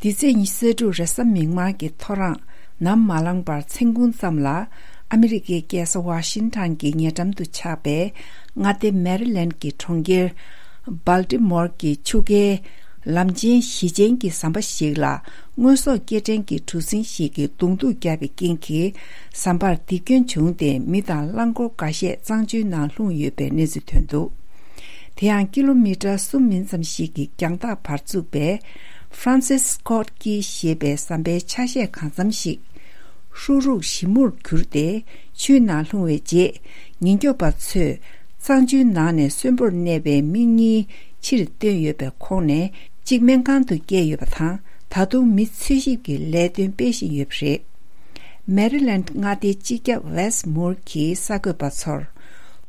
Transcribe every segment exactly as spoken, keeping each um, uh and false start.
འདི་ཚེས་ཉི་ཤུ་རྩ་དྲུག་རེས་གཟའ་མིག་དམར་གྱི་ཐོ་རངས་ནམ་མ་ལངས་པར་མཚན་གུང་ཙམ་ལ། ཨ་མི་རི་ཀའི་རྒྱལ་ས་ཝ་ཤིང་ཊོན་གྱི་ཉེ་འགྲམ་དུ་ཆགས་པའི་མངའ་སྡེ་མེ་རི་ལེནཌ་གྱི་གྲོང་ཁྱེར་སྦལ་ཏི་མོར་གྱི་ཆུ་ཁའི་ལམ་ཆེན་བཞི་ཅན་གྱི་ཟམ་པ་ཞིག་ལ། དངོས་ཟོག་སྐྱེལ་འདྲེན་གྱི་གྲུ་གཟིངས་ཤིག་གིས་གདོང་ཐུག་བརྒྱབ་པའི་རྐྱེན་གྱིས། ཟམ་པར་རྡིབ་སྐྱོན་བྱུང་སྟེ། མི་དང་རླངས་འཁོར་འགའ་ཤས་གཙང་ཆུའི་ནང་ལྷུང་ཡོད་པའི་གནས་ཚུལ་ཐོན་འདུག། དེ་ཡང་ཀི་ལོ་མི་ཊར་གསུམ་མིན་ཙམ་ཞིག་གི་རྒྱང་ཐག་བར་བཙུགས་པའི་ཧྥ་རན་སིས་སི་ཀོ་ཊི་ཀི་ཞེས་པའི་ཟམ་པའི་ཆ་ཤས་གང་འཚམ་ཞིག་ཧྲུག་ཧྲུག་ཞིབ་མོར་གྱུར་ཏེ། ཆུའི་ནང་ལྷུང་བའི་རྗེས། ཉེན་སྐྱོབ་པ་ཚོས་གཙང་ཆུའི་ནང་ནས་གསོན་པོར་གནས་པའི་མི་གཉིས་ཕྱིར་བཏོན་ཡོད་པའི་ཁོངས་ནས་གཅིག་སྨན་ཁང་དུ་བསྐྱལ་ཡོད་པ་དང་། ད་དུང་མི་འཚོལ་ཞིབ་ཀྱི་ལས་དོན་སྤེལ་བཞིན་ཡོད་པ་རེད། མེ་རི་ལེནཌ་མངའ་སྡེའི་སྤྱི་ཁྱབ་ཝེས་མུར་གྱིས་གསར་འགོད་པ་ཚོར།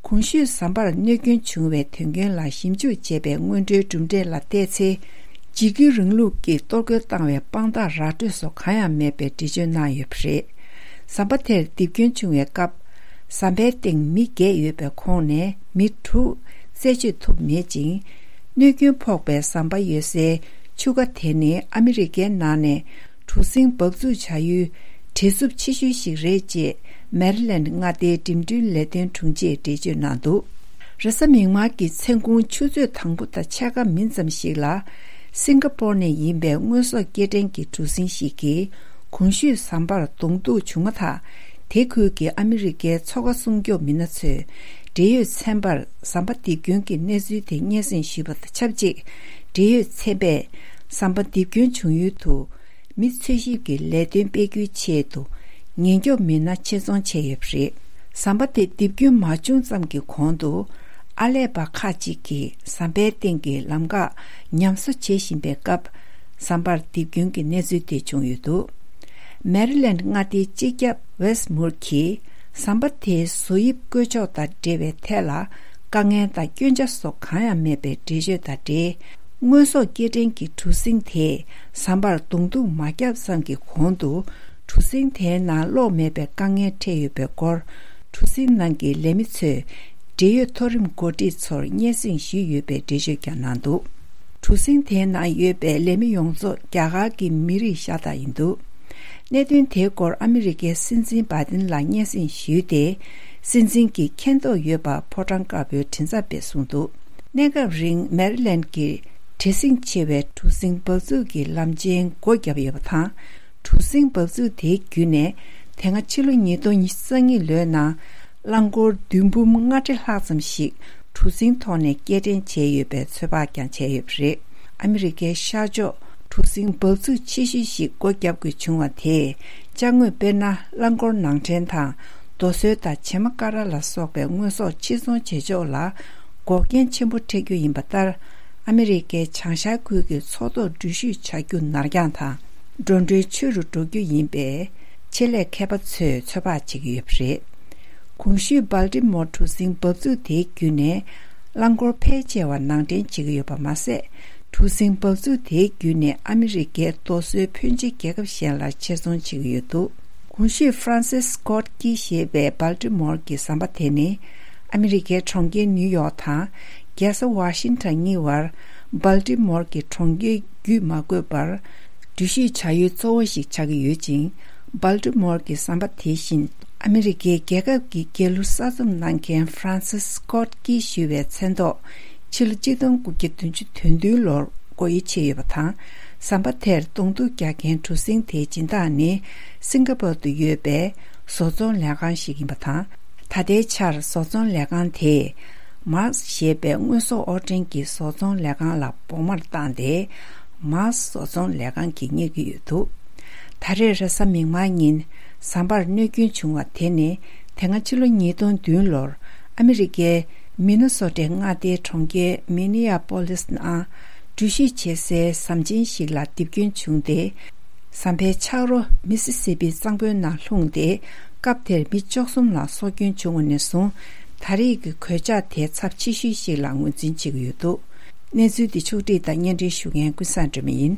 གོང་ཞུས་ཟམ་པར་གནོད་སྐྱོན་བྱུང་བའི་དོན་རྐྱེན་ལ་ཞིབ་འཇུག་བྱས་པའི་སྔོན་འགྲོའི་གྲུབ་འབྲས་ལ་བལྟས་ཚེ། འཇིགས་སྐུལ་རིང་ལུགས་ཀྱིས་གཏོར་རྒོལ་བཏང་བའི་དཔང་རྟགས་ར་སྤྲོད་སོགས་གང་ཡང་མེད་པའི་འགྲེལ་བརྗོད་གནང་ཡོད་པ་རེད། ཟམ་པ་དེར་རྡིབ་སྐྱོན་བྱུང་བའི་སྐབས། ཟམ་པའི་སྟེང་མི་བརྒྱད་ཡོད་པའི་ཁོངས་ནས་མི་དྲུག་རྩད་གཅོད་ཐུབ་མེད་ཅིང་། གནོད་སྐྱོན་ཕོག་པའི་ཟམ་པ་ཡོད་སའི་ཆུ་ཁ་དེ་ནི་ཨ་མི་རི་ཀའི་ནང་ནས་གྲུ་གཟིངས་འབབ་ཚུགས་བྱ་ཡུལ་བྲེལ་འཚུབ་ཆེ་ཤོས་ཤིག་རེད་ཅེས་མེ་རི་ལེནཌ་མངའ་སྡེའི་འགྲིམ་འགྲུལ་ལས་དོན་དྲུང་ཆེས་འགྲེལ་བརྗོད་གནང་འདུག། རེས་གཟའ་མིག་དམར་གྱི་མཚན་གུང་ཆུ་ཚོད་དང་པོ་དང་ཕྱེད་ཀ་མིན་ཙམ་ཞིག་ལ། སིང་ག་པོར་ནས་ཡིན་པའི་དངོས་ཟོག་སྐྱེལ་འདྲེན་གྱི་གྲུ་གཟིངས་ཤིག་གིས་གོང་ཞུས་ཟམ་པར་གདོང་ཐུག་བྱུང་མ་ཐག། དེ་ཁུལ་གྱི་ཨ་མི་རི་ཀའི་མཚོ་ཁ་སྲུང་སྐྱོབ་མི་སྣ་ཚོས་འབྲེལ་ཡོད་ཚན་པར་ཟམ་པ་རྡིབ་སྐྱོན་གྱི་གནས་ཚུལ་དེ་སྙན་སེང་ཞུས་པ་དང་ཆབས་ཅིག། འབྲེལ་ཡོད་ཚན་པས་ཟམ་པ་རྡིབ་སྐྱོན་བྱུང་ཡུལ་དུ། མི་འཚོལ་ཞིབ་ཀྱི་ལས་དོན་སྤེལ་རྒྱུའི་ཆེད་དུ། ཉེན་སྐྱོབ་མི་སྣ་ཆེད་རྫོང་བྱས་ཡོད་པ་རེད། ཟམ་པ་དེ་རྡིབ་སྐྱོན་མ་བྱུང་ཙམ་གྱི་གོང་དུ། ཨར་ལས་པ་ཁག་ཅིག་གིས་ཟམ་པའི་སྟེང་གི་ལམ་འགག་ཉམས་གསོ་བྱེད་བཞིན་པའི་སྐབས། ཟམ་པར་རྡིབ་སྐྱོན་གྱི་གནས་ཚུལ་དེ་བྱུང་ཡོད་འདུག། མེ་རི་ལེནཌ་མངའ་སྡེའི་སྤྱི་ཁྱབ་ཝེས་མུར་གྱིས། ཟམ་པ་དེའི་བཟོ་དབྱིབས་བཀོད་ཕྱོགས་དང་འབྲེལ་བའི་ཐད་ལ། དཀའ་ངལ་དང་སྐྱོན་ཆ་སོགས་གང་ཡང་མེད་པའི་འགྲེལ་བརྗོད་དང་འབྲེལ། དངོས་ཟོག་སྐྱེལ་འདྲེན་གྱི་གྲུ་གཟིངས་དེས་ཟམ་པར་གདོང་ཐུག་མ་བརྒྱབ་ཙམ་གྱི་གོང་དུ། གྲུ་གཟིངས་དེའི་ནང་གློག་མེད་པའི་དཀའ་ངལ་འཕྲད་ཡོད་པའི་སྐོར། གྲུ་གཟིངས་ནང་གི་ལས་མི་ཚོས་འབྲེལ་ཡོད་མཐོ་རིམ་འགོ་ཁྲིད་ཚོར་སྙན་སེང་ཞུས་ཡོད་པའི་འགྲེལ་བརྗོད་ཀྱང་གནང་འདུག། གྲུ་གཟིངས་དེའི་ནང་ཡོད་པའི་ལས་མི་ཡོངས་རྫོགས་རྒྱ་གར་གྱི་མི་རིགས་ཤ་སྟག་ཡིན་འདུག། གནད་དོན་དེའི་སྐོར་ཨ་མི་རི་ཀའི་སྲིད་འཛིན་བྷའི་ཏིན་ལ་སྙན་སེང་ཞུས་ཏེ། སྲིད་འཛིན་གྱིས་མཁྱེན་རྟོགས་ཡོད་པ་ཕོ་བྲང་དཀར་པོའི་མགྲིན་ཚབ་པས་གསུངས་འདུག། གནས་སྐབས་རིང་མེ་རི་ལེནཌ་གྱི་བྲེལ་ཟིང་ཆེ་བའི་གྲུ་གཟིངས་འབབ་ཚུགས་ཀྱི་ལམ་ཆེན་སྒོ་བརྒྱབ་ཡོད་པ་དང་། གྲུ་གཟིངས་འབབ་ཚུགས་དེའི་བརྒྱུད་ནས་དེ་སྔ་ཕྱི་ལོ་ཉིས་སྟོང་ཉི་ཤུ་རྩ་གཉིས་ལོའི་ནང་རླངས་འཁོར་བདུན་འབུམ་ལྔ་ཁྲི་ལྷག་ཙམ་ཞིག་གྲུ་གཟིངས་ཐོག་ནས་སྐྱེལ་འདྲེན་བྱས་ཡོད་པའི་ཚོད་དཔག་ཀྱང་བྱས་ཡོད་པ་རེད། ཨ་མི་རི་ཀའི་ཤར་ཕྱོགས་གྲུ་གཟིངས་འབབ་ཚུགས་ཆེ་ཤོས་ཤིག་སྒོ་བརྒྱབ་དགོས་བྱུང་བ་དེས། ཅ་དངོས་དཔེར་ན། རླངས་འཁོར་ནང་འདྲེན་དང་། རྡོ་སོལ་དང་བྱེ་མ་ཀ་ར་ལ་སོགས་པའི་དངོས་ཟོག་ཕྱིར་ཚོང་བྱེད་ཕྱོགས་ལ་འགོག་རྐྱེན་ཆེན་པོ་འཕྲད་རྒྱུ་ཡིན་པ་ལྟར། ཨ་མི་རི་ཀའི་བྱང་ཤར་ཁུལ་གྱི་མཚོ་ཐོག་འགྲུལ་བཞུད་བྱ་རྒྱུ་ནར་འགྱངས་དང་། འགྲོ་གྲོན་ཆེ་རུ་འགྲོ་རྒྱུ་ཡིན་པས། ཆེད་ལས་མཁས་པ་ཚོས་ཚོད་དཔག་བྱེད་ཀྱི་ཡོད་པ་རེད། གོང་ཞུས་སྦལ་ཏི་མོར་གྲུ་གཟིངས་འབབ་ཚུགས་དེའི་བརྒྱུད་ནས། རླངས་འཁོར་ཕལ་ཆེ་བ་ནང་འདྲེན་བྱེད་ཀྱི་ཡོད་པ་མ་ཟད། གྲུ་གཟིངས་འབབ་ཚུགས་དེའི་བརྒྱུད་ནས་ཨ་མི་རི་ཀའི་རྡོ་སོལ་ཕོན་ཆེ་རྒྱལ་ཁབ་གཞན་ལ་ཕྱིར་ཚོང་བྱེད་ཀྱི་ཡོད་འདུག། གོང་ཞུས་ཧྥ་རན་སིས་སི་ཀོ་ཊི་ཀི་ཞེས་པའི་སྦལ་ཏི་མོར་གྱི་ཟམ་པ་དེ་ནི། ཨ་མི་རི་ཀའི་གྲོང་ཁྱེར་ནིའུ་ཡོག་དང་རྒྱལ་ས་ཝ་ཤིང་ཊོན་གཉིས་བར། སྦལ་ཏི་མོར་གྱི་གྲོང་ཁྱེར་བརྒྱུད་མ་དགོས་པར། འགྲུལ་བཞུད་བྱ་ཡུལ་གཙོ་བོ་ཞིག་ཆགས་ཀྱི་ཡོད་ཅིང་། སྦལ་ཏི་མོར་གྱི་ཟམ་པ་དེ་བཞིན། ཨ་མི་རི་ཀའི་རྒྱལ་ཁབ་ཀྱི་རྒྱལ་གླུ་གསར་རྩོམ་གནང་མཁན་ཧྥ་རན་སིས་སི་ཀོ་ཊི་ཀི་ཞུ་བའི་མཚན་ཐོག་ཕྱི་ལོ་གཅིག་སྟོང་དགུ་བརྒྱ་བདུན་ཅུ་དོན་བདུན་ལོར་སྒོ་དབྱེ་ཕྱེ་ཡོད་པ་དང་། ཟམ་པ་དེར་གདོང་ཐུག་རྒྱག་མཁན་གྲུ་གཟིངས་དེའི་སྦྱིན་བདག་ནི། སིང་ག་པོར་དུ་ཡོད་པའི་བཟོ་ཚོང་ལས་ཁང་ཞིག་ཡིན་པ་དང་། ད་ལྟའི་ཆར་བཟོ་ཚོང་ལས་ཁང་དེས། མཱ་སི་ཞེས་པའི་དངོས་ཟོག་དབོར་འདྲེན་གྱི་བཟོ་ཚོང་ལས་ཁང་ལ་བོགས་མར་བཏང་སྟེ། མཱ་སི་བཟོ་ཚོང་ལས་ཁང་གིས་གཉེར་གྱི་ཡོད་འདུག། ད་རེས་རེས་གཟའ་མིག་དམར་ཉིན་ཟམ་པར་གནོད་སྐྱོན་བྱུང་བ་དེ་ནི། དེ་སྔ་ཕྱི་ལོ་ཉིས་སྟོང་བདུན་ལོར་ཨ་མི་རི་ཀའི་མི་ནི་སོ་ཊའི་མངའ་སྡེའི་གྲོང་ཁྱེར་མི་ནི་ཡ་པོ་ལིས་ནང་འགྲུལ་བཞུད་བྱེད་སའི་ཟམ་ཆེན་ཞིག་ལ་རྡིབ་སྐྱོན་བྱུང་སྟེ། ཟམ་པའི་ཆག་རོ་མི་སི་སི་པི་གཙང་པོའི་ནང་ལྷུང་སྟེ། སྐབས་དེར་མི་བཅུ་གསུམ་ལ་སྲོག་སྐྱོན་བྱུང་བ་ནས་བཟུང་། ད་རེས་ཀྱི་གོད་ཆག་དེ་ཚབས་ཆེ་ཤོས་ཤིག་ལ་ངོས་འཛིན་བྱེད་ཀྱི་ཡོད་འདུག། གནས་ཚུལ་འདི་ཕྱོགས་བསྒྲིགས་དང་སྙན་སྒྲོན་ཞུ་མཁན་ཀུན་བཟང་སྒྲོལ་མ་ཡིན།